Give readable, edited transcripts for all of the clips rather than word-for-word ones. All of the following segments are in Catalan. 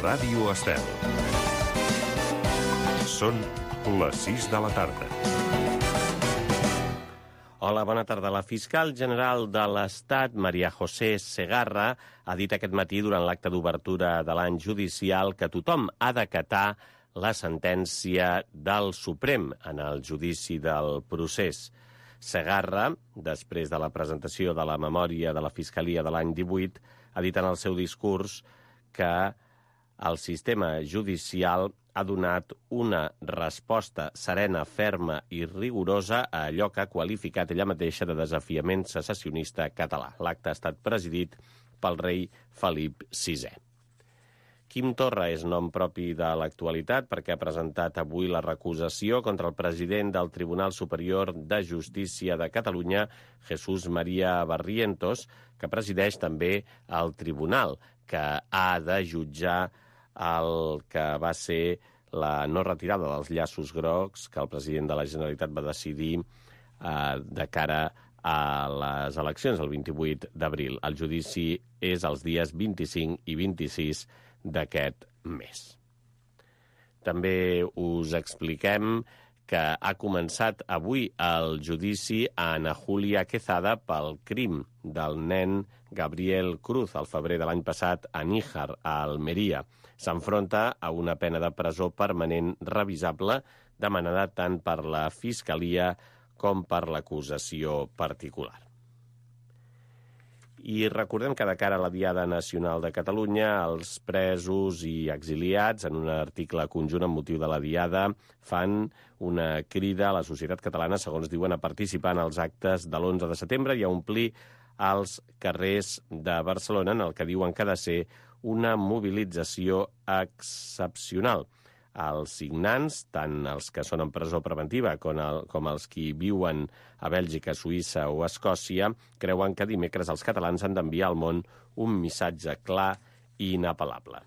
Ràdio Estel. Són les 6 de la tarda. Hola, bona tarda. La fiscal general de l'Estat, María José Segarra, ha dit aquest matí durant l'acte d'obertura de l'any judicial que tothom ha d'acatar la sentència del Suprem en el judici del procés. Segarra, després de la presentació de la memòria de la Fiscalia de l'any 18, ha dit en el seu discurs que el sistema judicial ha donat una resposta serena, ferma i rigorosa a allò que ha qualificat ella mateixa de desafiament secessionista català. L'acte ha estat presidit pel rei Felip VI. Quim Torra és nom propi de l'actualitat perquè ha presentat avui la recusació contra el president del Tribunal Superior de Justícia de Catalunya, Jesús María Barrientos, que presideix també el tribunal, que ha de jutjar el que va ser la no retirada dels llaços grocs que el president de la Generalitat va decidir de cara a les eleccions el 28 d'abril. El judici és els dies 25 i 26 d'aquest mes. També us expliquem que ha començat avui el judici a Ana Julia Quezada pel crim del nen Gabriel Cruz al febrer de l'any passat a Níjar, a Almeria. S'enfronta a una pena de presó permanent revisable demanada tant per la Fiscalia com per l'acusació particular. I recordem que de cara a la Diada Nacional de Catalunya, els presos i exiliats, en un article conjunt amb motiu de la Diada, fan una crida a la societat catalana, segons diuen, a participar en els actes de l'11 de setembre i a omplir els carrers de Barcelona, en el que diuen que ha de ser una mobilització excepcional. Els signants, tant els que són en presó preventiva com els que viuen a Bèlgica, Suïssa o Escòcia, creuen que dimecres els catalans han d'enviar al món un missatge clar i inapel·lable.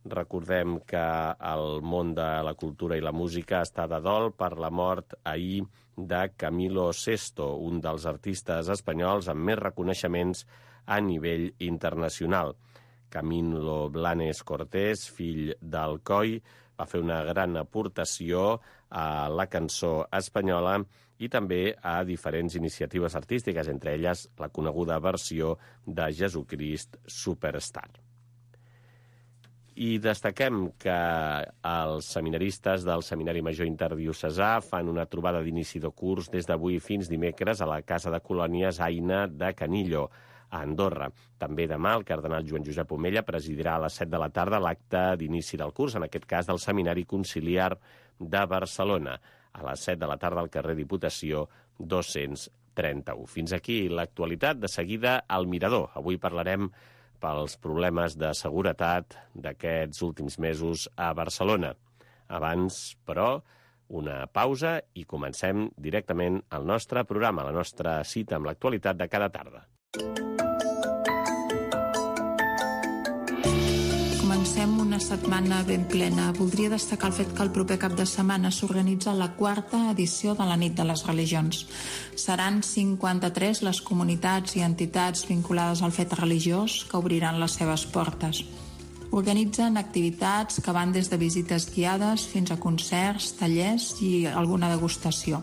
Recordem que el món de la cultura i la música està de dol per la mort ahir de Camilo Sesto, un dels artistes espanyols amb més reconeixements a nivell internacional. Camilo Blanes Cortés, fill d'Alcoi, va fer una gran aportació a la cançó espanyola i també a diferents iniciatives artístiques, entre elles la coneguda versió de Jesucrist Superstar. I destaquem que els seminaristes del Seminari Major Interdiocesà fan una trobada d'inici de curs des d'avui fins dimecres a la Casa de Colònies Aina de Canillo, a Andorra. També demà el cardenal Joan Josep Omella presidirà a les 7 de la tarda l'acte d'inici del curs, en aquest cas del Seminari Conciliar de Barcelona, a les 7 de la tarda al carrer Diputació 231. Fins aquí l'actualitat. De seguida, al Mirador. Avui parlarem pels problemes de seguretat d'aquests últims mesos a Barcelona. Abans, però, una pausa i comencem directament el nostre programa, la nostra cita amb l'actualitat de cada tarda. Comencem una setmana ben plena. Voldria destacar el fet que el proper cap de setmana s'organitza la 4ª edició de la Nit de les Religions. Seran 53 les comunitats i entitats vinculades al fet religiós que obriran les seves portes. Organitzen activitats que van des de visites guiades fins a concerts, tallers i alguna degustació.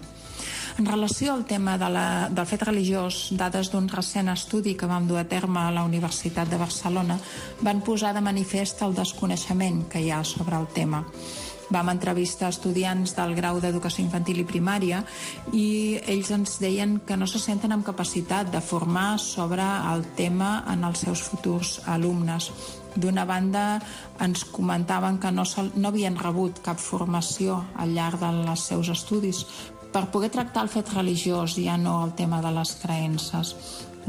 En relació al tema del fet religiós, dades d'un recent estudi que vam dur a terme a la Universitat de Barcelona van posar de manifest el desconeixement que hi ha sobre el tema. Vam entrevistar estudiants del grau d'educació infantil i primària i ells ens deien que no se senten amb capacitat de formar sobre el tema en els seus futurs alumnes. D'una banda, ens comentaven que no havien rebut cap formació al llarg dels seus estudis per poder tractar el fet religiós, ja no el tema de les creences.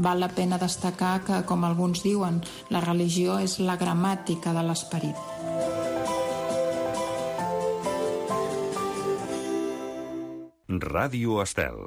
Val la pena destacar que, com alguns diuen, la religió és la gramàtica de l'esperit. Ràdio Estel.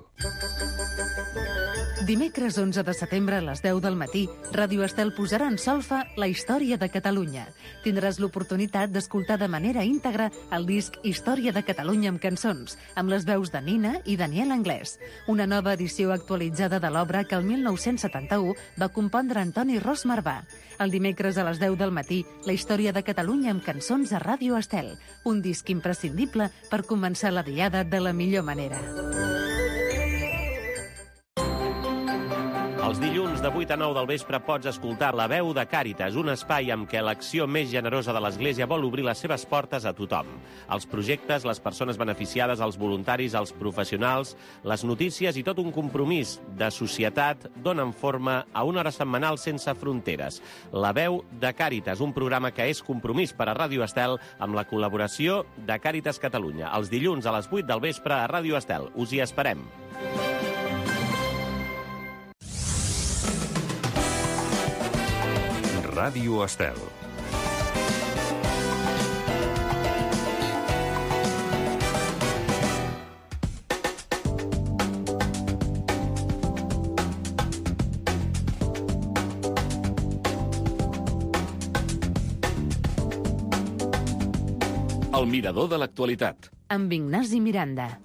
Dimecres 11 de setembre a les 10 del matí, Ràdio Estel posarà en solfa la història de Catalunya. Tindràs l'oportunitat d'escoltar de manera íntegra el disc Història de Catalunya amb cançons, amb les veus de Nina i Daniel Anglès. Una nova edició actualitzada de l'obra que el 1971 va compondre Antoni Ros Marvà. El dimecres a les 10 del matí, la història de Catalunya amb cançons a Ràdio Estel. Un disc imprescindible per començar la diada de la millor manera. Els dilluns de 8 a 9 del vespre pots escoltar La Veu de Càritas, un espai amb què l'acció més generosa de l'Església vol obrir les seves portes a tothom. Els projectes, les persones beneficiades, els voluntaris, els professionals, les notícies i tot un compromís de societat donen forma a una hora setmanal sense fronteres. La Veu de Càritas, un programa que és compromís per a Ràdio Estel amb la col·laboració de Càritas Catalunya. Els dilluns a les 8 del vespre a Ràdio Estel. Us hi esperem. Ràdio Estel. El mirador de l'actualitat. Amb Ignasi Miranda.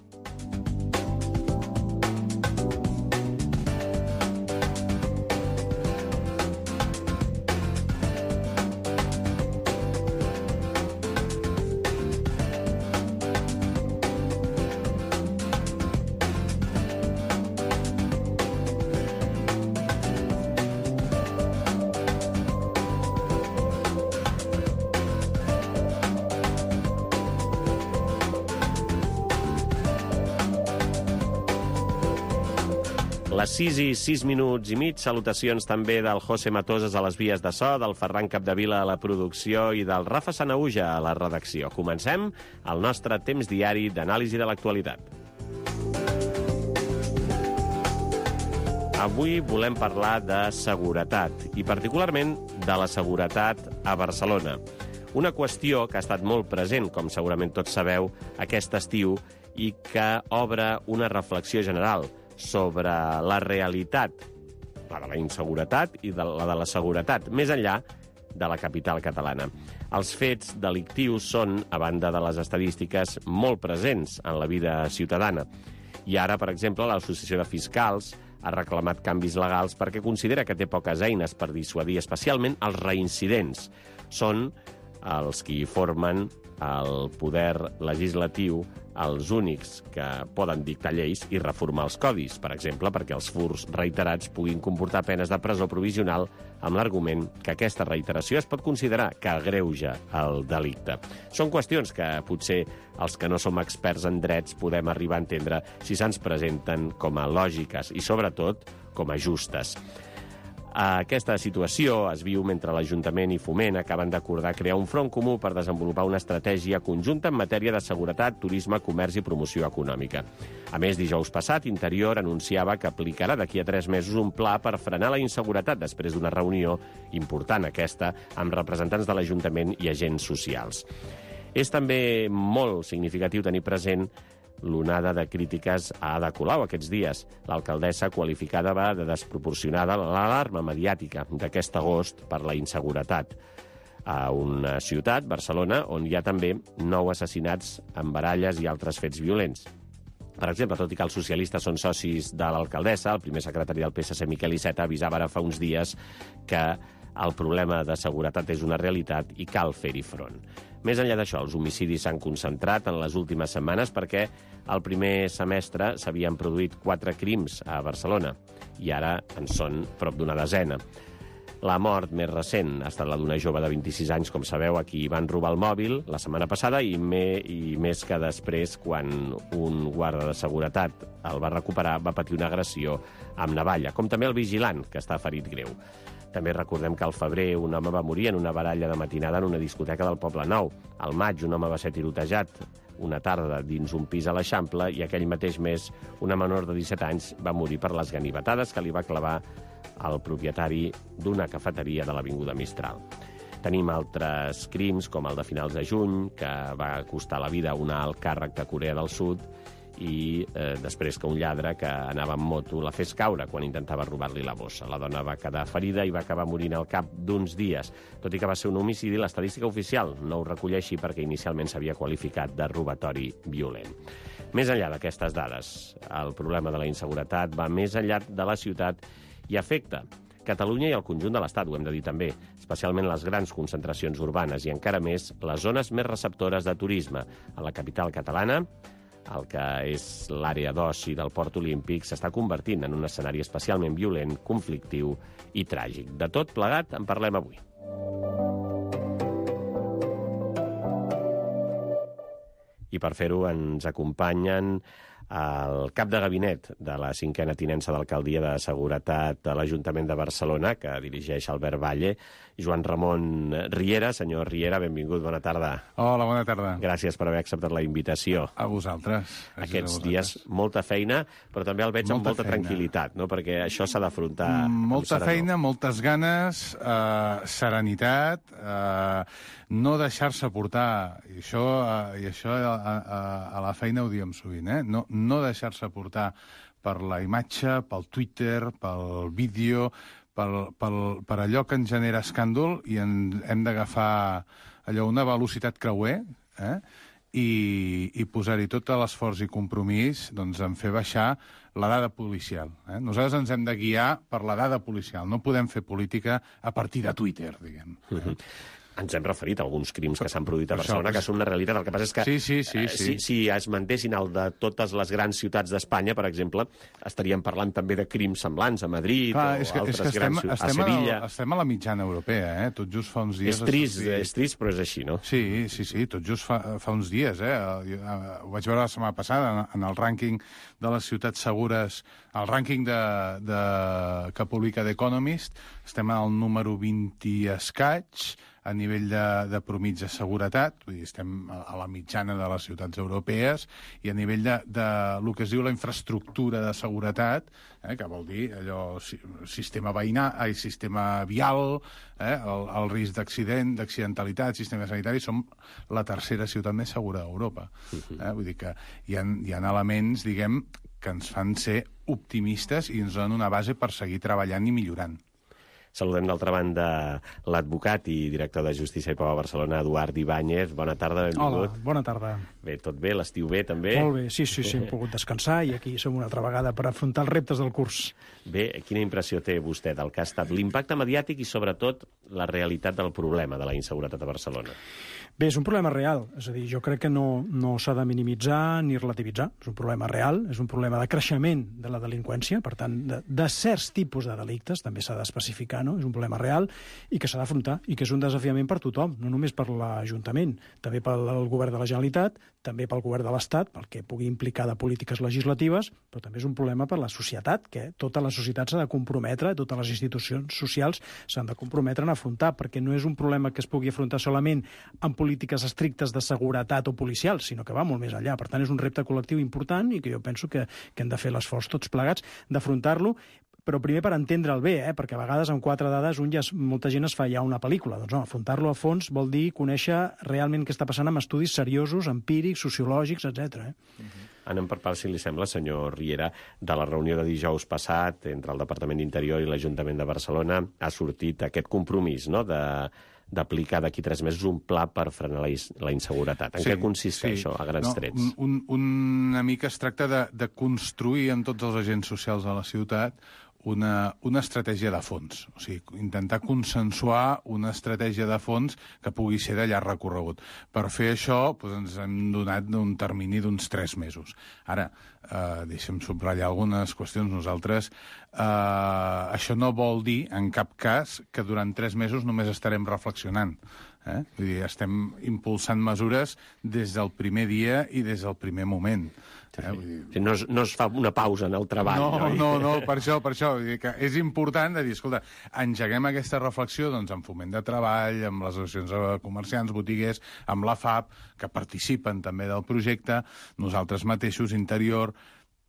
Les 6 i 6 minuts i mig, salutacions també del José Matoses a les vies de so, del Ferran Capdevila a la producció i del Rafa Sanahuja a la redacció. Comencem el nostre temps diari d'anàlisi de l'actualitat. Avui volem parlar de seguretat, i particularment de la seguretat a Barcelona. Una qüestió que ha estat molt present, com segurament tots sabeu, aquest estiu, i que obre una reflexió general sobre la realitat, la de la inseguretat i la de la seguretat, més enllà de la capital catalana. Els fets delictius són, a banda de les estadístiques, molt presents en la vida ciutadana. I ara, per exemple, l'Associació de Fiscals ha reclamat canvis legals perquè considera que té poques eines per dissuadir, especialment els reincidents. Són els que formen el poder legislatiu els únics que poden dictar lleis i reformar els codis, per exemple, perquè els furts reiterats puguin comportar penes de presó provisional amb l'argument que aquesta reiteració es pot considerar que agreuja el delicte. Són qüestions que potser els que no som experts en drets podem arribar a entendre si se'ns presenten com a lògiques i, sobretot, com a justes. Aquesta situació es viu mentre l'Ajuntament i Foment acaben d'acordar crear un front comú per desenvolupar una estratègia conjunta en matèria de seguretat, turisme, comerç i promoció econòmica. A més, dijous passat, Interior anunciava que aplicarà d'aquí a 3 mesos un pla per frenar la inseguretat després d'una reunió important aquesta amb representants de l'Ajuntament i agents socials. És també molt significatiu tenir present l'onada de crítiques a Ada Colau aquests dies. L'alcaldessa qualificada va de desproporcionada l'alarma mediàtica d'aquest agost per la inseguretat a una ciutat, Barcelona, on hi ha també 9 assassinats amb baralles i altres fets violents. Per exemple, tot i que els socialistes són socis de l'alcaldessa, el primer secretari del PSC, Miquel Iceta, avisava ara fa uns dies que el problema de seguretat és una realitat i cal fer-hi front. Més enllà d'això, els homicidis s'han concentrat en les últimes setmanes perquè el primer semestre s'havien produït 4 crims a Barcelona i ara en són prop d'una desena. La mort més recent ha estat la d'una jove de 26 anys, com sabeu, a qui van robar el mòbil la setmana passada i més que després, quan un guarda de seguretat el va recuperar, va patir una agressió amb navalla, com també el vigilant, que està ferit greu. També recordem que al febrer un home va morir en una baralla de matinada en una discoteca del Poble Nou. Al maig un home va ser tirotejat una tarda dins un pis a l'Eixample i aquell mateix mes una menor de 17 anys va morir per les ganivetades que li va clavar el propietari d'una cafeteria de l'Avinguda Mistral. Tenim altres crims, com el de finals de juny, que va costar la vida a un alt càrrec de Corea del Sud, i després que un lladre que anava amb moto la fes caure quan intentava robar-li la bossa. La dona va quedar ferida i va acabar morint al cap d'uns dies. Tot i que va ser un homicidi, l'estadística oficial no ho recull així perquè inicialment s'havia qualificat de robatori violent. Més enllà d'aquestes dades, el problema de la inseguretat va més enllà de la ciutat i afecta Catalunya i el conjunt de l'Estat, ho hem de dir també, especialment les grans concentracions urbanes i encara més les zones més receptores de turisme. A la capital catalana, el que és l'àrea d'oci del Port Olímpic s'està convertint en un escenari especialment violent, conflictiu i tràgic. De tot plegat en parlem avui. I per fer-ho ens acompanyen el cap de gabinet de la 5a tinença d'Alcaldia de Seguretat de l'Ajuntament de Barcelona, que dirigeix Albert Valle, Joan Ramon Riera. Senyor Riera, benvingut, bona tarda. Hola, bona tarda. Gràcies per haver acceptat la invitació. A vosaltres. Aquests dies molta feina, però també el veig amb molta tranquil·litat, no? Perquè això s'ha d'afrontar molta feina, moltes ganes, serenitat, no deixar-se portar. I això a la feina ho diem sovint, no deixar-se portar per la imatge, pel Twitter, pel vídeo, per allò que ens genera escàndol, i hem d'agafar allò una velocitat creuer, i posar-hi tot l'esforç i compromís en fer baixar la dada policial. Nosaltres ens hem de guiar per la dada policial. No podem fer política a partir de Twitter, diguem. Ens hem referit a alguns crims que s'han produït a Barcelona, que són una realitat. El que passa és que si es mantessin el de totes les grans ciutats d'Espanya, per exemple, estaríem parlant també de crims semblants a Madrid o altres grans ciutats, a Sevilla. Estem a la mitjana europea, Tot just fa uns dies... És trist, però és així, no? Sí, tot just fa uns dies, Ho vaig veure la setmana passada en el rànquing de les ciutats segures, el rànquing que publica The Economist. Estem al número 20 i escaig, a nivell de promig de seguretat, vull dir, estem a la mitjana de les ciutats europees, i a nivell de lo que es diu la infraestructura de seguretat, que vol dir allò sistema vial, el risc d'accidentalitat, sistema sanitari, som la tercera ciutat més segura d'Europa. Vull dir que hi ha elements, diguem, que ens fan ser optimistes i ens donen una base per seguir treballant i millorant. Saludem d'altra banda l'advocat i director de Justícia i Pau a Barcelona, Eduard Ibáñez. Bona tarda, benvingut. Hola, bona tarda. Bé, tot bé? L'estiu bé, també? Molt bé, sí, hem pogut descansar i aquí som una altra vegada per afrontar els reptes del curs. Bé, quina impressió té vostè del que ha estat l'impacte mediàtic i, sobretot, la realitat del problema de la inseguretat a Barcelona? Bé, és un problema real, és a dir, jo crec que no s'ha de minimitzar ni relativitzar. És un problema real, és un problema de creixement de la delinqüència, per tant, de certs tipus de delictes, també s'ha d'especificar, no? És un problema real i que s'ha d'afrontar, i que és un desafiament per tothom, no només per l'Ajuntament, també pel Govern de la Generalitat, també pel Govern de l'Estat, pel que pugui implicar de polítiques legislatives, però també és un problema per la societat, que tota la societat s'ha de comprometre, totes les institucions socials s'han de comprometre en afrontar, perquè no és un problema que es pugui afrontar solament amb polítiques estrictes de seguretat o policials, sinó que va molt més enllà. Per tant, és un repte col·lectiu important i que jo penso que hem de fer l'esforç tots plegats d'afrontar-lo, però primer per entendre'l bé, perquè a vegades amb 4 dades molta gent es fa ja una pel·lícula. Doncs no, afrontar-lo a fons vol dir conèixer realment què està passant amb estudis seriosos, empírics, sociològics, etc. Anem per parts, si li sembla, senyor Riera. De la reunió de dijous passat entre el Departament d'Interior i l'Ajuntament de Barcelona ha sortit aquest compromís, no?, d'aplicar d'aquí 3 mesos un pla per frenar la inseguretat. En què consisteix això, a grans trets? Una mica es tracta de construir amb tots els agents socials de la ciutat una estratègia de fons. O sigui, intentar consensuar una estratègia de fons que pugui ser de llarg recorregut. Per fer això, ens hem donat un termini d'uns 3 mesos. Ara, deixem subratllar algunes qüestions. Nosaltres, això no vol dir, en cap cas, que durant 3 mesos només estarem reflexionant. Vull dir, estem impulsant mesures des del primer dia i des del primer moment. No es fa una pausa en el treball. No, per això. Vull dir que és important de dir, escolta, engeguem aquesta reflexió amb Foment de Treball, amb les associacions de comerciants, botiguers, amb la FAP, que participen també del projecte, nosaltres mateixos, Interior,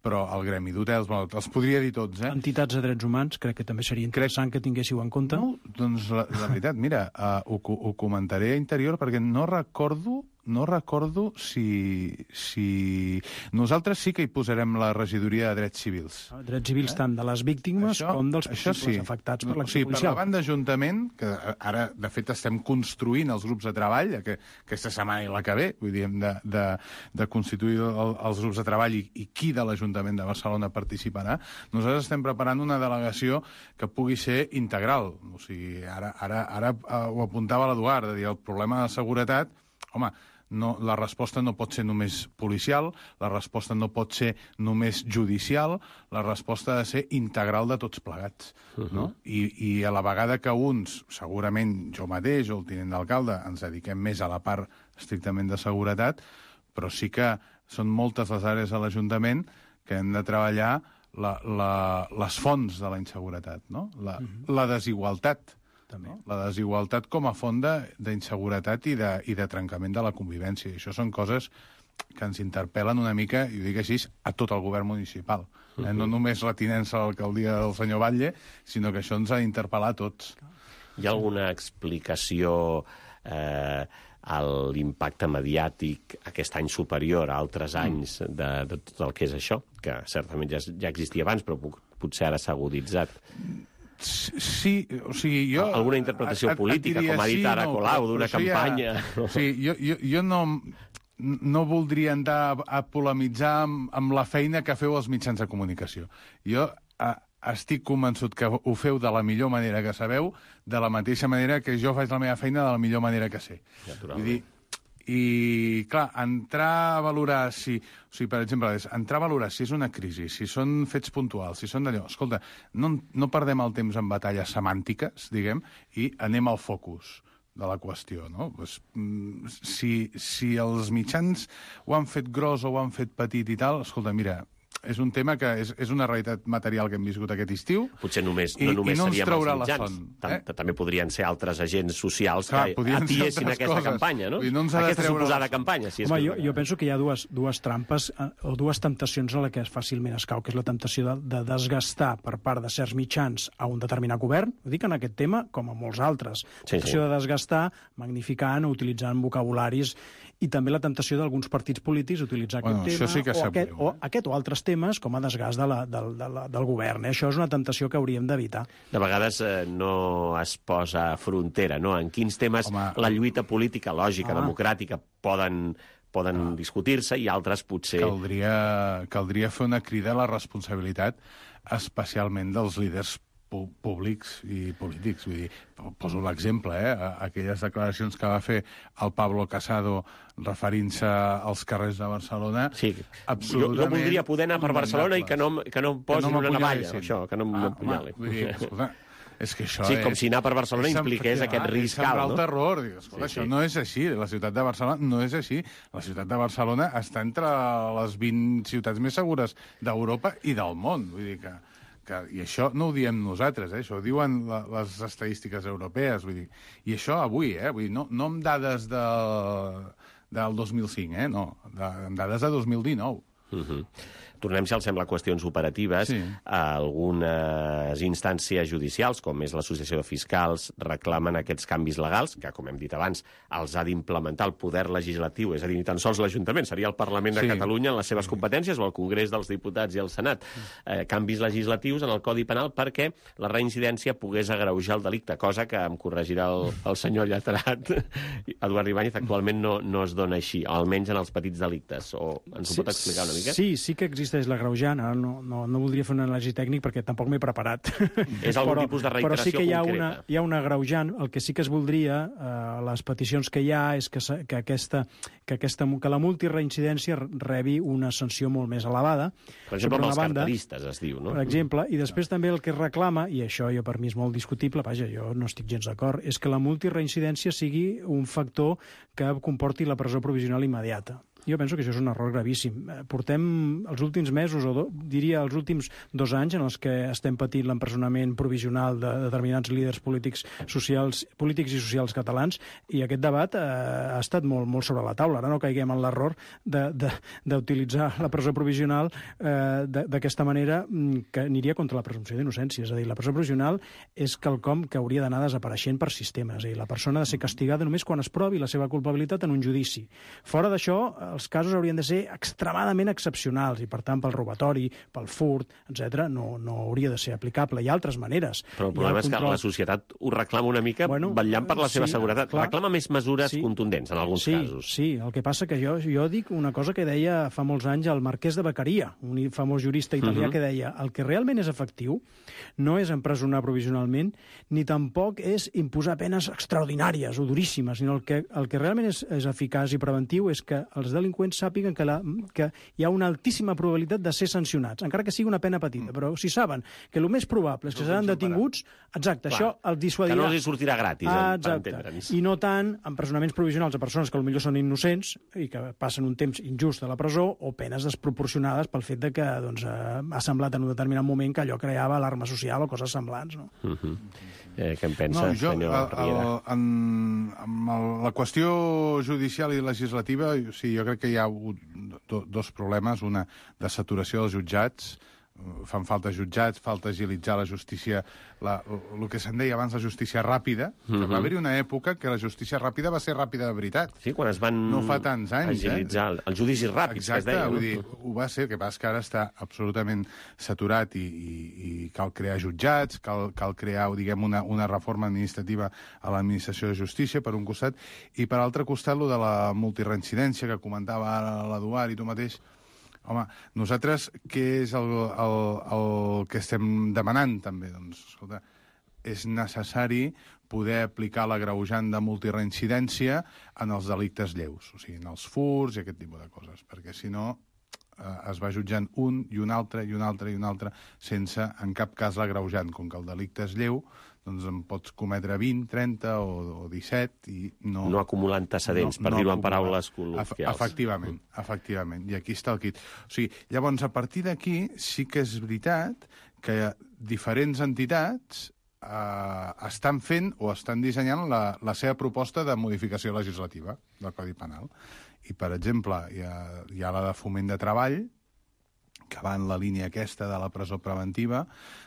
però el gremi d'hotels, els podria dir tots, Entitats de drets humans, crec que també seria interessant que tinguéssiu en compte. No, doncs la veritat, mira, ho comentaré a Interior perquè no recordo no recordo si... Nosaltres sí que hi posarem la regidoria de drets civils. Drets civils tant de les víctimes com dels possibles afectats per l'acció policial. Per la banda d'Ajuntament, que ara, de fet, estem construint els grups de treball, aquesta setmana i la que ve, vull dir, hem de constituir els grups de treball i qui de l'Ajuntament de Barcelona participarà. Nosaltres estem preparant una delegació que pugui ser integral. O sigui, ara ho apuntava l'Eduard, de dir, el problema de seguretat, home, la resposta no pot ser només policial, la resposta no pot ser només judicial, la resposta ha de ser integral de tots plegats. No? I a la vegada que uns, segurament jo mateix o el tinent d'alcalde, ens dediquem més a la part estrictament de seguretat, però sí que són moltes les àrees de l'Ajuntament que hem de treballar les fonts de la inseguretat, no? La desigualtat. També. La desigualtat com a font d'inseguretat i de trencament de la convivència. I això són coses que ens interpel·len una mica, i ho dic així, a tot el govern municipal. No només la tinença a l'alcaldia del senyor Batlle, sinó que això ens ha d'interpel·lar a tots. Hi ha alguna explicació a l'impacte mediàtic aquest any superior a altres anys de tot el que és això? Que certament ja existia abans, però potser ara s'ha aguditzat. Sí, o sigui, jo... Alguna interpretació política, com ha dit ara Colau, d'una campanya... Sí, jo no voldria entrar a polemitzar amb la feina que feu els mitjans de comunicació. Jo estic convençut que ho feu de la millor manera que sabeu, de la mateixa manera que jo faig la meva feina de la millor manera que sé. Vull dir, i, clar, entrar a valorar si... O sigui, per exemple, entrar a valorar si és una crisi, si són fets puntuals, si són d'allò... Escolta, no perdem el temps en batalles semàntiques, diguem, i anem al focus de la qüestió, no? Pues, si els mitjans ho han fet gros o ho han fet petit i tal, escolta, mira... És un tema que és una realitat material que hem viscut aquest estiu. Potser no només seríem els mitjans. També podrien ser altres agents socials que atiessin aquesta campanya, no? Aquesta suposada campanya. Home, jo penso que hi ha dues trampes o dues temptacions a les que fàcilment es cau, que és la temptació de desgastar per part de certs mitjans a un determinat govern. Ho dic en aquest tema com a molts altres. La temptació de desgastar, magnificant o utilitzant vocabularis, i també la temptació d'alguns partits polítics utilitzar aquest tema o aquest o altres temes com a desgast del govern. Això és una temptació que hauríem d'evitar. De vegades no es posa frontera, no? En quins temes la lluita política, lògica, democràtica poden discutir-se i altres potser... Caldria fer una crida a la responsabilitat, especialment dels líders públics i polítics. Vull dir, poso l'exemple, aquelles declaracions que va fer el Pablo Casado referint-se als carrers de Barcelona... Sí, absolutament... Jo voldria poder anar per Barcelona i que no em posin una navalla, això, que no m'apunyalin. Vull dir, escolta, és que això sí, com si anar per Barcelona impliqués aquest risc alt, no? El terror. Escolta, això no és així. La ciutat de Barcelona no és així. La ciutat de Barcelona està entre les 20 ciutats més segures d'Europa i del món. Vull dir que i això no ho diem nosaltres, això ho diuen les estadístiques europees, vull dir. I això avui, vull dir, no amb dades del 2005, no, amb dades de 2019. Tornem, si els sembla, a qüestions operatives. Sí. Algunes instàncies judicials, com és l'Associació de Fiscals, reclamen aquests canvis legals, que, com hem dit abans, els ha d'implementar el poder legislatiu, és a dir, ni tan sols l'Ajuntament, seria el Parlament de Catalunya en les seves competències, o el Congrés dels Diputats i el Senat. Canvis legislatius en el Codi Penal perquè la reincidència pogués agreujar el delicte, cosa que em corregirà el senyor lletrat Eduard Ibáñez, actualment no es dona així, almenys en els petits delictes. O ens ho pot explicar una mica? Sí que existeix l'agreujant. No voldria fer un anàlisi tècnic perquè tampoc m'he preparat. És algun tipus de reiteració però sí que concreta. Hi ha un agreujant. El que sí que es voldria, les peticions que hi ha, és que la multireincidència rebi una sanció molt més elevada. Per exemple, amb els carteristes, es diu, no? Per exemple, i després també el que es reclama, i això jo per mi és molt discutible, vaja, jo no estic gens d'acord, és que la multireincidència sigui un factor que comporti la presó provisional immediata. Jo penso que això és un error gravíssim. Portem els últims mesos, diria els últims 2 anys, en els que estem patint l'empresonament provisional de determinats líders polítics i socials catalans, i aquest debat ha estat molt sobre la taula. Ara no caiguem en l'error d'utilitzar la presó provisional d'aquesta manera, que aniria contra la presumpció d'innocència. És a dir, la presó provisional és quelcom que hauria d'anar desapareixent per sistema. És a dir, la persona ha de ser castigada només quan es provi la seva culpabilitat en un judici. Fora d'això, els casos haurien de ser extremadament excepcionals i, per tant, pel robatori, pel furt, etc., no hauria de ser aplicable. Hi ha altres maneres. Però el problema és que la societat ho reclama una mica vetllant per la seva seguretat. Clar. Reclama més mesures contundents en alguns casos. Sí, el que passa que jo dic una cosa que deia fa molts anys el Marquès de Beccaria, un famós jurista italià, que deia: el que realment és efectiu no és empresonar provisionalment, ni tampoc és imposar penes extraordinàries o duríssimes, sinó el que realment és eficaç i preventiu és que els delinqüents sàpiguen que hi ha una altíssima probabilitat de ser sancionats, encara que sigui una pena petita, però si saben que el més probable és que seran detinguts, exacte, això els dissuadirà. Que no els sortirà gratis, per entendre'ns. I no tant empresonaments provisionals de persones que potser són innocents i que passen un temps injust a la presó, o penes desproporcionades pel fet de que ha semblat en un determinat moment que allò creava alarma social o coses semblants. No? Què en pensa, senyor Riera? Amb la qüestió judicial i legislativa, sí, jo crec que hi ha hagut dos problemes. Una, de saturació dels jutjats. Fan falta jutjats, falta agilitzar la justícia, el que se'n deia abans, la justícia ràpida. Va haver-hi una època que la justícia ràpida va ser ràpida de veritat. Sí, quan es van no fa tants anys, agilitzar els judicis ràpids, exacte, que es deia. Vull dir, ho va ser, el que passa que ara està absolutament saturat i cal crear jutjats, cal crear, diguem, una reforma administrativa a l'administració de justícia, per un costat, i per altre costat, lo de la multireincidència que comentava ara l'Eduard i tu mateix. Home, nosaltres, què és el que estem demanant, també? Doncs, escolta, és necessari poder aplicar l'agreujant de multireincidència en els delictes lleus, o sigui, en els furts i aquest tipus de coses, perquè si no es va jutjant un i un altre i un altre i un altre sense, en cap cas, l'agreujant. Com que el delicte és lleu, doncs en pots cometre 20, 30 o 17 i no... No acumular antecedents, per dir-ho en paraules col·loquials. Efectivament. I aquí està el quid. O sigui, llavors, a partir d'aquí, sí que és veritat que diferents entitats estan fent o estan dissenyant la seva proposta de modificació legislativa del Codi Penal. I, per exemple, hi ha la de Foment de Treball, que va en la línia aquesta de la presó preventiva.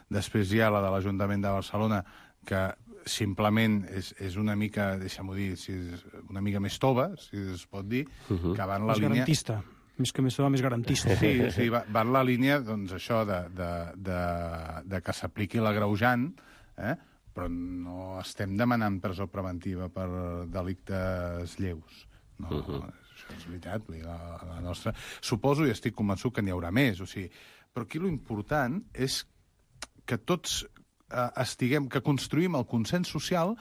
Després hi ha la de l'Ajuntament de Barcelona, que simplement és una mica, deixa'm-ho dir, una mica més tova, si es pot dir, que va en la línia... Més garantista. Més que més tova, més garantista. Sí, va en la línia, doncs, això de que s'apliqui l'agreujant, però no estem demanant presó preventiva per delictes lleus. No, això és veritat, la nostra... Suposo i estic convençut que n'hi haurà més, o sigui, però aquí l'important és que tots que construïm el consens social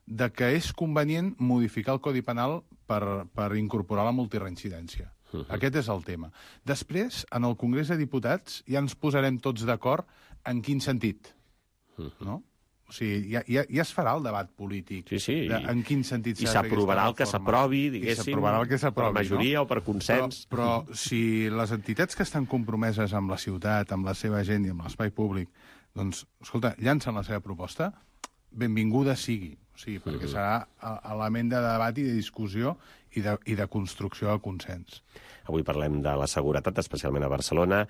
de que és convenient modificar el Codi Penal per incorporar la multireincidència. Aquest és el tema. Després, en el Congrés de Diputats, ja ens posarem tots d'acord en quin sentit, no? O sigui, ja es farà el debat polític. Sí. En quin sentit s'ha de fer aquesta reforma. I s'aprovarà el que s'aprovi, diguéssim, per majoria o per consens. Però si les entitats que estan compromeses amb la ciutat, amb la seva gent i amb l'espai públic, doncs, escolta, llancen la seva proposta, benvinguda sigui. O sigui, perquè serà element de debat i de discussió i de construcció de consens. Avui parlem de la seguretat, especialment a Barcelona,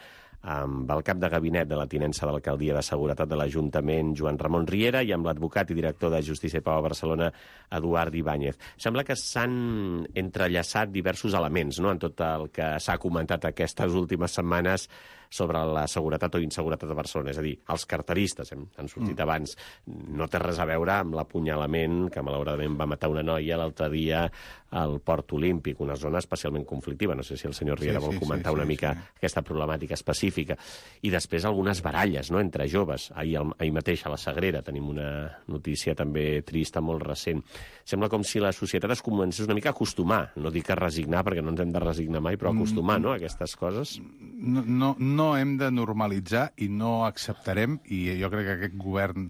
amb el cap de gabinet de la tinença d'Alcaldia de Seguretat de l'Ajuntament, Joan Ramon Riera, i amb l'advocat i director de Justícia i Pau a Barcelona, Eduard Ibáñez. Sembla que s'han entrellaçat diversos elements, no?, en tot el que s'ha comentat aquestes últimes setmanes sobre la seguretat o inseguretat de Barcelona. És a dir, els carteristes, han sortit abans, no té res a veure amb l'apunyalament que malauradament va matar una noia l'altre dia al Port Olímpic, una zona especialment conflictiva. No sé si el senyor Riera vol comentar una mica aquesta problemàtica específica. I després algunes baralles, no?, entre joves. Ahir mateix a la Sagrera tenim una notícia també trista, molt recent. Sembla com si la societat es comencés una mica a acostumar, no dic a resignar, perquè no ens hem de resignar mai, però acostumar, no?, a aquestes coses. No hem de normalitzar i no acceptarem, i jo crec que aquest govern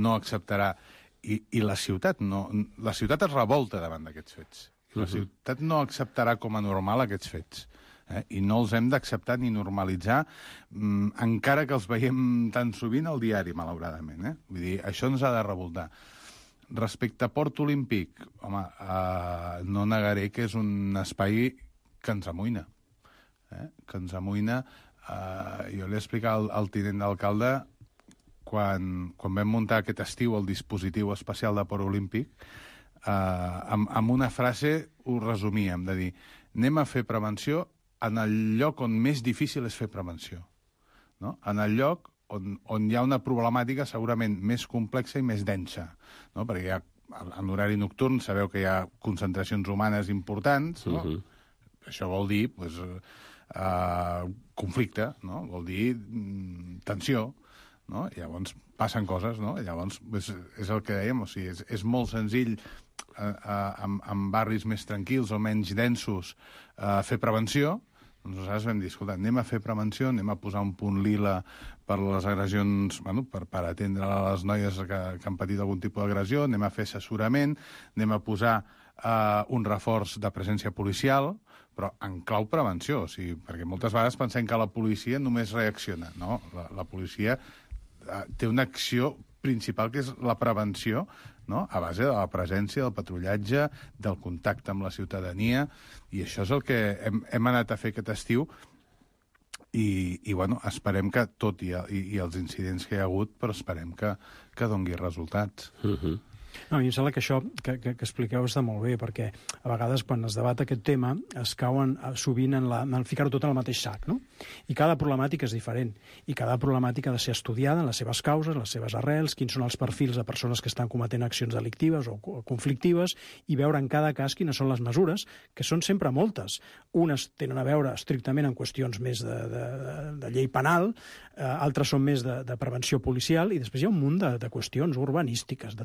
no acceptarà, i la ciutat es revolta davant d'aquests fets. La ciutat no acceptarà com a normal aquests fets. I no els hem d'acceptar ni normalitzar, encara que els veiem tan sovint al diari, malauradament. Vull dir, això ens ha de revoltar. Respecte a Port Olímpic, home, no negaré que és un espai que ens amoïna. Que ens amoïna. Jo li he explicat al tinent d'alcalde, quan vam muntar aquest estiu el dispositiu especial de Port Olímpic, amb una frase ho resumíem, de dir, anem a fer prevenció en el lloc on més difícil és fer prevenció. No? En el lloc on hi ha una problemàtica segurament més complexa i més densa. No? Perquè en horari nocturn sabeu que hi ha concentracions humanes importants. No? Això vol dir conflicte, no? Vol dir tensió. No? Llavors passen coses, no? Llavors és el que dèiem, o sigui, és molt senzill en barris més tranquils o menys densos fer prevenció. Nosaltres vam dir, escolta, anem a fer prevenció, anem a posar un punt lila per les agressions, per atendre les noies que han patit algun tipus d'agressió, anem a fer assessorament, anem a posar un reforç de presència policial, però en clau prevenció, o sigui, perquè moltes vegades pensem que la policia només reacciona, no? La policia té una acció principal, que és la prevenció, no? A base de la presència, del patrullatge, del contacte amb la ciutadania, i això és el que hem anat a fer aquest estiu, i bueno, esperem que, tot i els incidents que hi ha hagut, però esperem que dongui resultats. No, a mi em sembla que això que expliqueu està molt bé, perquè a vegades quan es debat aquest tema es cauen sovint en ficar-ho tot en el mateix sac, no? I cada problemàtica és diferent, i cada problemàtica ha de ser estudiada en les seves causes, les seves arrels, quins són els perfils de persones que estan cometent accions delictives o conflictives, i veure en cada cas quines són les mesures, que són sempre moltes. Unes tenen a veure estrictament en qüestions més de llei penal, altres són més de prevenció policial, i després hi ha un munt de qüestions urbanístiques,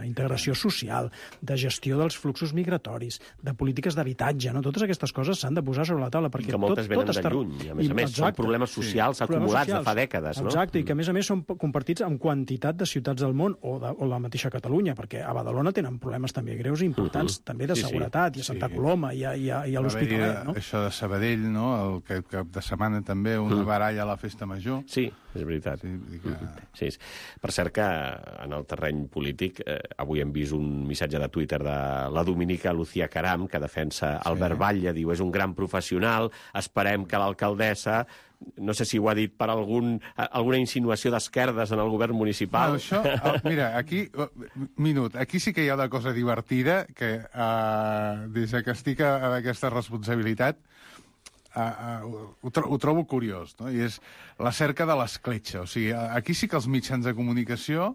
d'integració social, de gestió dels fluxos migratoris, de polítiques d'habitatge, no? Totes aquestes coses s'han de posar sobre la taula, perquè que moltes venen de lluny, i a més són problemes socials acumulats de fa dècades, no? Exacte, i que a més són compartits amb quantitat de ciutats del món, o la mateixa Catalunya, perquè a Badalona tenen problemes també greus i importants, també de seguretat, i a Santa Coloma, i a l'Hospitalet, no? Això de Sabadell, no? El cap de setmana també, una baralla a la festa major. Sí, és veritat. Sí. Per cert que en el terreny polític avui hem vist un missatge de Twitter de la dominica Lucía Caram, que defensa Albert Batlle, diu, és un gran professional, esperem que l'alcaldessa, no sé si ho ha dit per alguna insinuació d'esquerdes en el govern municipal. No, això, mira, aquí sí que hi ha una cosa divertida, que des que estic en aquesta responsabilitat, ho trobo curiós, no? I és la cerca de l'escletxa. O sigui, aquí sí que els mitjans de comunicació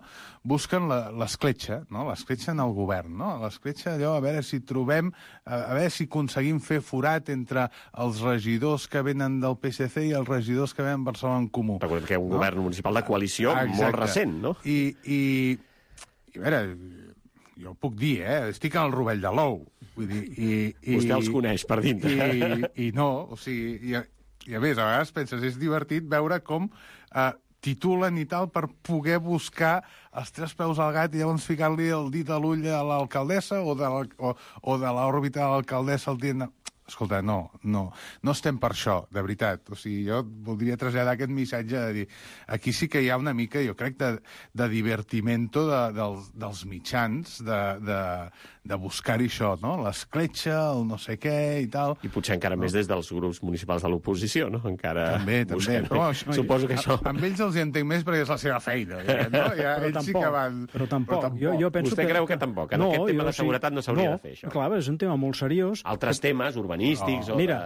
busquen l'escletxa, no? L'escletxa en el govern, no? L'escletxa, allò, a veure si trobem, a veure si aconseguim fer forat entre els regidors que venen del PSC i els regidors que venen Barcelona en Comú. Recordem que hi ha un govern municipal de coalició molt recent, no? I a veure, jo ho puc dir, estic en el rovell de l'ou. Vull dir, vostè els coneix per dintre. I no, o sigui, i a més, a vegades penses, és divertit veure com titulen i tal per poder buscar els tres peus al gat i llavors ficar-li el dit a l'ull a l'alcaldessa o de l'òrbita de l'alcaldessa al dient... Escolta, no estem per això, de veritat. O sigui, jo voldria traslladar aquest missatge de dir, aquí sí que hi ha una mica, jo crec, de divertimento dels mitjans, de buscar-hi això, no? L'escletxa, el no sé què i tal. I potser encara més des dels grups municipals de l'oposició, no? Encara també. Però, suposo que això... Amb ells els hi entenc més perquè és la seva feina, no? Ells sí que van... Però tampoc. Jo penso vostè creu que tampoc? En aquest tema de seguretat no s'hauria de fer, això? Clar, és un tema molt seriós. Altres temes, urbanístics... Mira,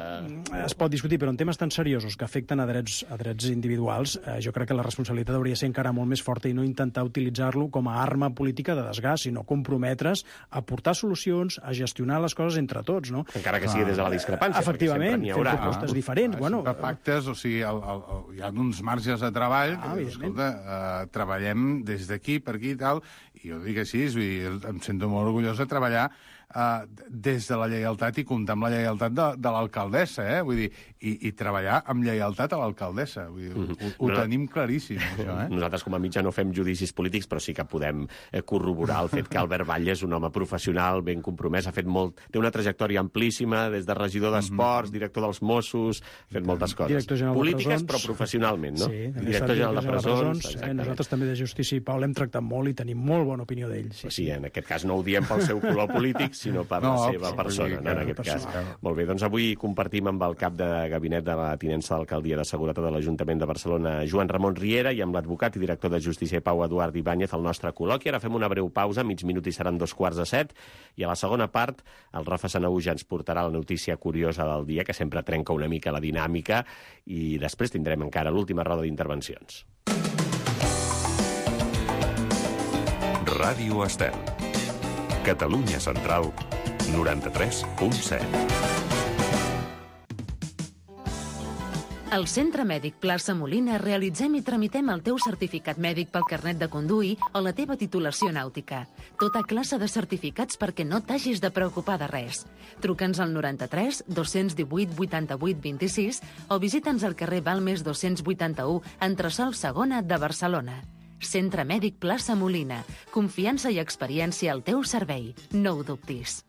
es pot discutir, però en temes tan seriosos que afecten a drets individuals, jo crec que la responsabilitat hauria de ser encara molt més forta i no intentar utilitzar-lo com a arma política de desgast, sinó comprometre's a portar solucions, a gestionar les coses entre tots, no? Encara que sigui des de la discrepància, efectivament, fent propostes diferents. De pactes, o sigui, hi ha uns marges de treball que, escolta, treballem des d'aquí, per aquí i tal, i jo dic així, em sento molt orgullós de treballar des de la lleialtat i comptar amb la lleialtat de l'alcaldessa, Vull dir, i treballar amb lleialtat a l'alcaldessa. Vull dir, ho tenim claríssim, això, Nosaltres, com a mitjà, no fem judicis polítics, però sí que podem corroborar el fet que Albert Batlle és un home professional, ben compromès, té una trajectòria amplíssima, des de regidor d'Esports, director dels Mossos, ha fet moltes coses. Polítiques, però professionalment, no? Sí, director general de presons. Nosaltres també de Justícia i Pau l'hem tractat molt i tenim molt bona opinió d'ell. Sí, en aquest cas no ho diem pel seu color polític, sinó per la seva persona, en aquest cas. Molt bé, doncs avui compartim amb el cap de gabinet de la tinença d'Alcaldia de Seguretat de l'Ajuntament de Barcelona, Joan Ramon Riera, i amb l'advocat i director de Justícia i Pau, Eduard Ibáñez, el nostre col·loqui. Ara fem una breu pausa, mig minut i seran 2:45, i a la segona part el Rafa Sanahuja ens portarà la notícia curiosa del dia, que sempre trenca una mica la dinàmica, i després tindrem encara l'última roda d'intervencions. Ràdio Estel. Catalunya Central, 93.7. Al Centre Mèdic Plaça Molina realitzem i tramitem el teu certificat mèdic pel carnet de conduir o la teva titulació nàutica. Tota classe de certificats perquè no t'hagis de preocupar de res. Truca'ns al 93 218 88 26 o visita'ns al carrer Balmes 281, entresòl Segona de Barcelona. Centre Mèdic Plaça Molina. Confiança i experiència al teu servei. No ho dubtis.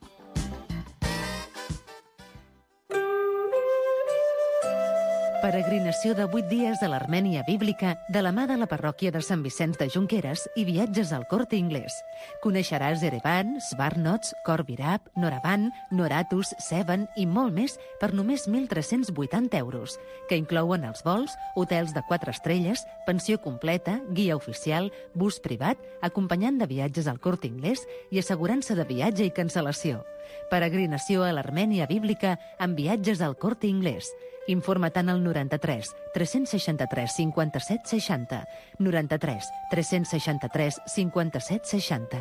Peregrinació de 8 dies a l'Armènia bíblica de la mà de la parròquia de Sant Vicenç de Junqueras i viatges al Corte Inglés. Coneixeràs Erevan, Svarnots, Khor Virab, Noravan, Noratus, Sevan i molt més per només 1.380 euros, que inclouen els vols, hotels de 4 estrelles, pensió completa, guia oficial, bus privat, acompanyant de viatges al Corte Inglés i assegurança de viatge i cancel·lació. Peregrinació a l'Armènia bíblica amb viatges al Corte Inglés. Informa-te'n al 93 363 57 60, 93 363 57 60.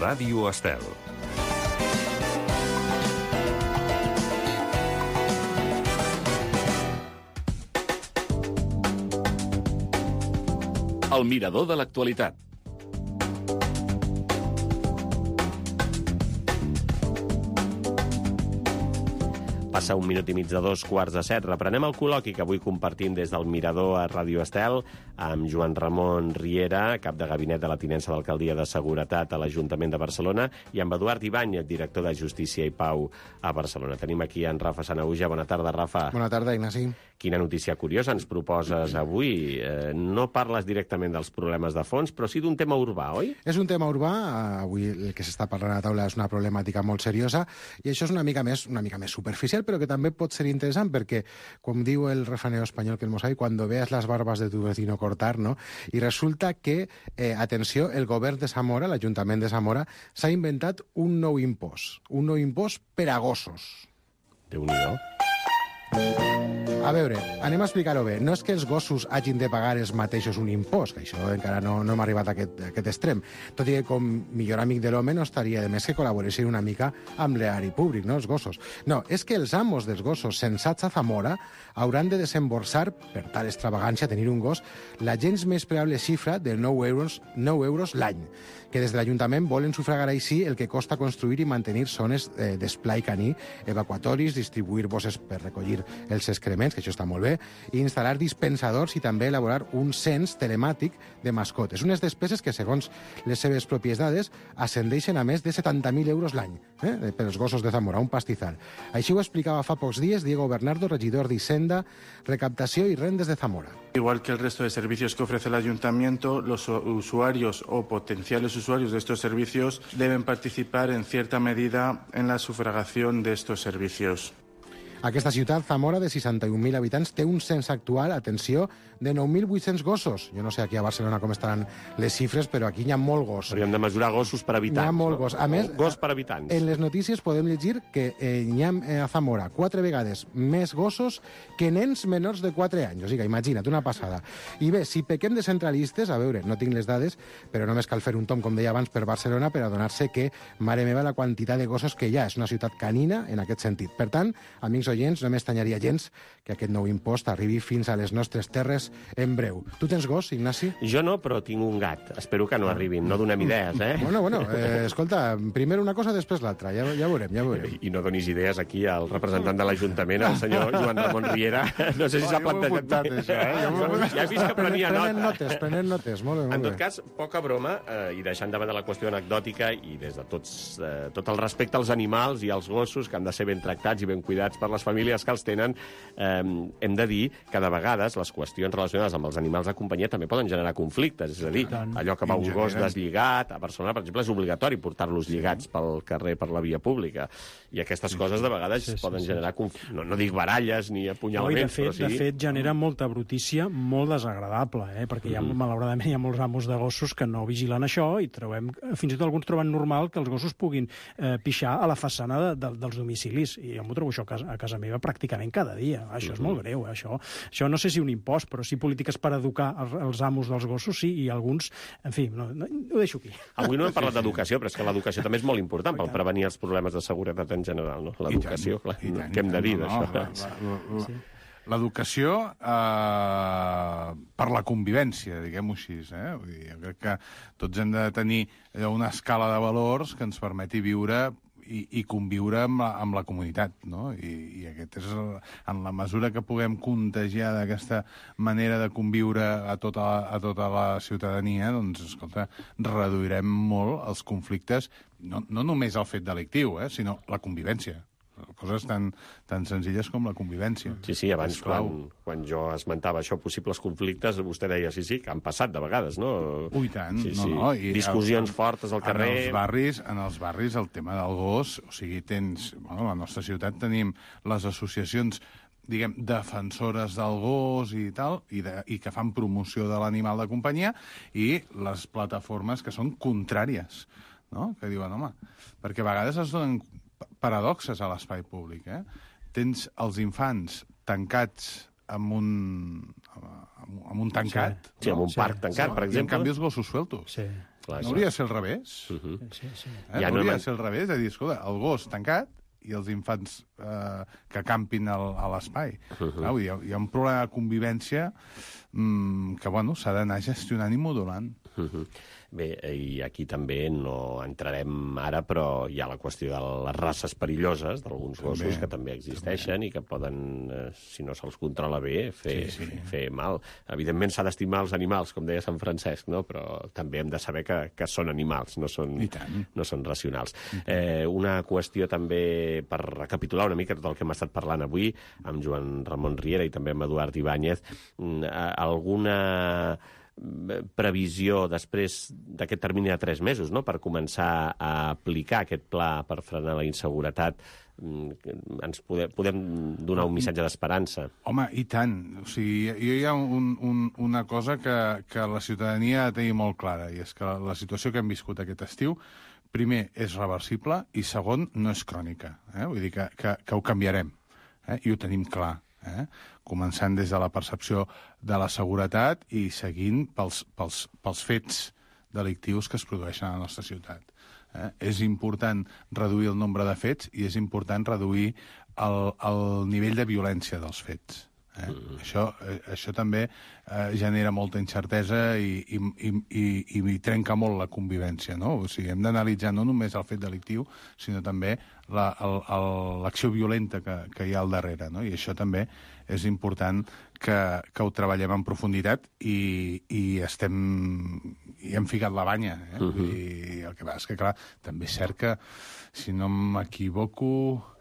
Ràdio Estel. El mirador de l'actualitat. Passa un minut i mig de 2:45. Reprenem el col·loqui que avui compartim des del Mirador a Ràdio Estel amb Joan Ramon Riera, cap de gabinet de la tinença d'Alcaldia de Seguretat a l'Ajuntament de Barcelona, i amb Eduard Ibáñez, director de Justícia i Pau a Barcelona. Tenim aquí en Rafa Sanahuja. Bona tarda, Rafa. Bona tarda, Ignasi. Quina notícia curiosa ens proposes avui. No parles directament dels problemes de fons, però sí d'un tema urbà, oi? És un tema urbà. Avui el que s'està parlant a la taula és una problemàtica molt seriosa i això és una mica més superficial, però que també pot ser interessant perquè, com diu el refranero espanyol que el mosai, cuando veas las barbas de tu vecino cortar, ¿no? I resulta que, atenció, el govern de Zamora, l'Ajuntament de Zamora, s'ha inventat un nou impost per a gossos. Déu-n'hi-do. A veure, anem a explicar-ho bé. No és que els gossos hagin de pagar els mateixos un impost, que això encara no hem arribat a aquest extrem. Tot i que com millor amic de l'home no estaria de més que col·laboressin una mica amb l'erari públic, no, els gossos. No, és que els amos dels gossos censats a Zamora hauran de desemborsar, per tal extravagància tenir un gos, la gens més preable xifra de 9 euros l'any, que des de l'Ajuntament volen sufragar així el que costa construir i mantenir zones d'esplai caní, evacuatoris, distribuir bosses per recollir els excrements, que això està molt bé, i instal·lar dispensadors i també elaborar un cens telemàtic de mascotes. Unes despeses que, segons les seves pròpies dades, ascendeixen a més de 70.000 euros l'any per als gossos de Zamora, un pastizal. Així ho explicava fa pocs dies Diego Bernardo, regidor d'Hisenda, Recaptació i Rendes de Zamora. Igual que el resto de servicios que ofrece el Ayuntamiento, los usuarios o potenciales usuarios de estos servicios deben participar en cierta medida en la sufragación de estos servicios. Aquesta ciutat, Zamora, de 61.000 habitants, té un cens actual, atenció, de 9.800 gossos. Jo no sé aquí a Barcelona com estaran les xifres, però aquí hi ha molt gos. Hauríem de mesurar gossos per habitants. Hi ha molt gos. A més, gos per habitants. En les notícies podem llegir que hi ha a Zamora 4 vegades més gossos que nens menors de 4 anys. O sigui, imagina't, una passada. I bé, si pequem de centralistes, a veure, no tinc les dades, però només cal fer un tomb, com deia abans, per Barcelona per adonar-se que, mare meva, la quantitat de gossos que hi ha. És una ciutat canina en aquest sentit. Per tant, amics amics oients, no m'estanyaria gens que aquest nou impost arribi fins a les nostres terres en breu. Tu tens gos, Ignasi? Jo no, però tinc un gat. Espero que no arribin. No donem idees, eh? Bueno, escolta, primer una cosa, després l'altra. Ja veurem. I no donis idees aquí al representant de l'Ajuntament, el senyor Joan Ramon Riera. No sé si s'ha plantejat bé. Ja he vist que prenia nota. Prenent notes, molt bé. En tot cas, poca broma, i deixant de banda la qüestió anecdòtica i des de tot el respecte als animals i als gossos, que han de ser ben tractats i ben cuidats per les famílies que els tenen, hem de dir que de vegades les qüestions relacionades amb els animals de companyia també poden generar conflictes. És a dir, allò que va un gos deslligat, a Barcelona, per exemple, és obligatori portar-los lligats pel carrer, per la via pública. I aquestes coses de vegades poden generar, no dic baralles ni apunyalaments, però sí... De fet, genera molta brutícia molt desagradable, perquè malauradament hi ha molts amos de gossos que no vigilen això i trobem, fins i tot alguns troben normal que els gossos puguin pixar a la façana dels domicilis. I jo m'ho trobo això a casa meva pràcticament cada dia. Això és molt greu, això no sé si un impost, però sí polítiques per educar els amos dels gossos, sí, i alguns... En fi, ho deixo aquí. Avui no hem parlat d'educació, però és que l'educació també és molt important per prevenir els problemes de seguretat en general, no? L'educació, clar, què hem de dir d'això? L'educació per la convivència, diguem-ho així. Vull dir, jo crec que tots hem de tenir una escala de valors que ens permeti viure i conviure amb la comunitat, no? I aquest és, en la mesura que puguem contagiar d'aquesta manera de conviure a tota la ciutadania, doncs, escolta, reduirem molt els conflictes, no només el fet delictiu, sinó la convivència. Coses tan senzilles com la convivència. Sí, abans, quan jo esmentava això, possibles conflictes, vostè deia, sí, que han passat de vegades, no? Ui, tant. Discussions fortes al carrer... En els barris el tema del gos, o sigui, a la nostra ciutat tenim les associacions, diguem, defensores del gos i tal, i que fan promoció de l'animal de companyia, i les plataformes que són contràries, no? Que diuen, home, perquè a vegades es donen paradoxes a l'espai públic, Tens els infants tancats amb un tancat. Sí, amb un parc tancat, per exemple. I en canvi els gossos sueltos. Sí. No hauria de ser al revés? No hauria de ser al revés, de dir, escolta, el gos tancat i els infants que campin a l'espai. Hi ha un problema de convivència que, s'ha d'anar gestionant i modulant. Bé, i aquí també no entrarem ara, però hi ha la qüestió de les races perilloses d'alguns gossos que també existeixen i que poden, si no se'ls controla bé, fer mal. Evidentment s'ha d'estimar els animals, com deia Sant Francesc, no? Però també hem de saber que són animals, no són racionals. Una qüestió també, per recapitular una mica tot el que hem estat parlant avui, amb Joan Ramon Riera i també amb Eduard Ibáñez, alguna previsió després d'aquest termini de 3 mesos, no?, per començar a aplicar aquest pla per frenar la inseguretat. Ens podem donar un missatge d'esperança? Home, i tant. O sigui, hi ha una cosa que la ciutadania ha de tenir molt clara, i és que la situació que hem viscut aquest estiu, primer, és reversible, i segon, no és crònica. Vull dir que ho canviarem, i ho tenim clar. Començant des de la percepció de la seguretat i seguint pels fets delictius que es produeixen a la nostra ciutat. És important reduir el nombre de fets i és important reduir el nivell de violència dels fets. Això també genera molta incertesa i trenca molt la convivència, no? O sigui, hem d'analitzar no només el fet delictiu, sinó també l'acció violenta que hi ha al darrere, no? I això també és important que ho treballem en profunditat i hem ficat la banya. I el que passa és que, clar, també és cert que, si no m'equivoco,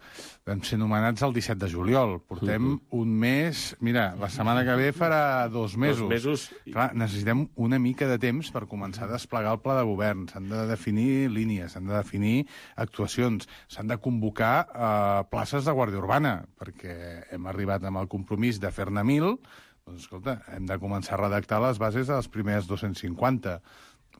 vam ser nomenats el 17 de juliol. Portem un mes... Mira, la setmana que ve farà 2 mesos. 2 mesos. Clar, necessitem una mica de temps per començar a desplegar el pla de govern. S'han de definir línies, s'han de definir actuacions, s'han de convocar places de Guàrdia Urbana, perquè hem arribat amb el compromís de fer-ne 1.000. Doncs, escolta, hem de començar a redactar les bases de les primeres 250.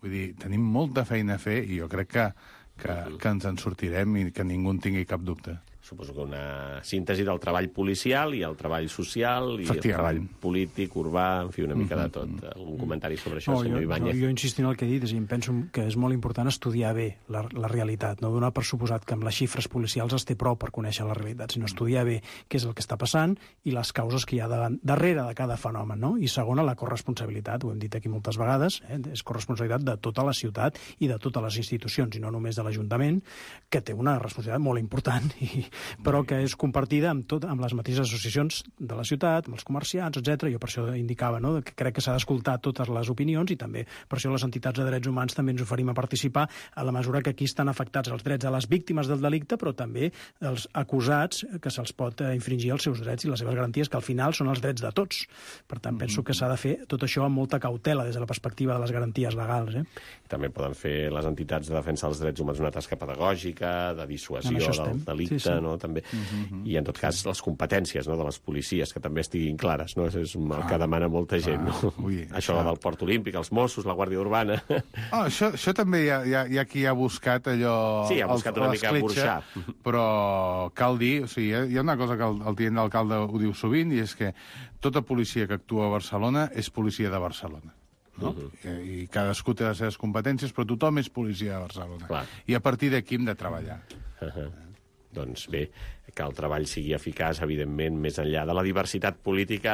Vull dir, tenim molta feina a fer i jo crec que ens en sortirem i que ningú en tingui cap dubte. suposo que una síntesi del treball policial i el treball social i el treball polític, urbà, en fi, una mica de tot. Algun comentari sobre això, senyor Ibáñez? Jo insisto en el que he dit, és a dir, em penso que és molt important estudiar bé la realitat, no donar per suposat que amb les xifres policials es té prou per conèixer la realitat, sinó estudiar bé què és el que està passant i les causes que hi ha darrere de cada fenomen, no? I segona, la corresponsabilitat, ho hem dit aquí moltes vegades, és corresponsabilitat de tota la ciutat i de totes les institucions, i no només de l'Ajuntament, que té una responsabilitat molt important, però que és compartida amb les mateixes associacions de la ciutat, amb els comerciants, etc. Jo per això indicava, no?, que crec que s'ha d'escoltar totes les opinions i també per això les entitats de drets humans també ens oferim a participar a la mesura que aquí estan afectats els drets de les víctimes del delicte, però també els acusats, que se'ls pot infringir els seus drets i les seves garanties, que al final són els drets de tots. Per tant, penso que s'ha de fer tot això amb molta cautela des de la perspectiva de les garanties legals. També poden fer les entitats de defensa dels drets humans una tasca pedagògica, de dissuasió del delicte, no? També. I, en tot cas, les competències, no?, de les policies, que també estiguin clares, no? És el que demana molta gent, no? Això del Port Olímpic, els Mossos, la Guàrdia Urbana... Això també hi ha qui ha buscat allò... Sí, ha buscat una mica burxar. Però cal dir, o sigui, hi ha una cosa que el tinent d'alcalde ho diu sovint, i és que tota policia que actua a Barcelona és policia de Barcelona. No? I cadascú té les seves competències, però tothom és policia de Barcelona. Clar. I a partir d'aquí hem de treballar. Doncs bé, que el treball sigui eficaç, evidentment, més enllà de la diversitat política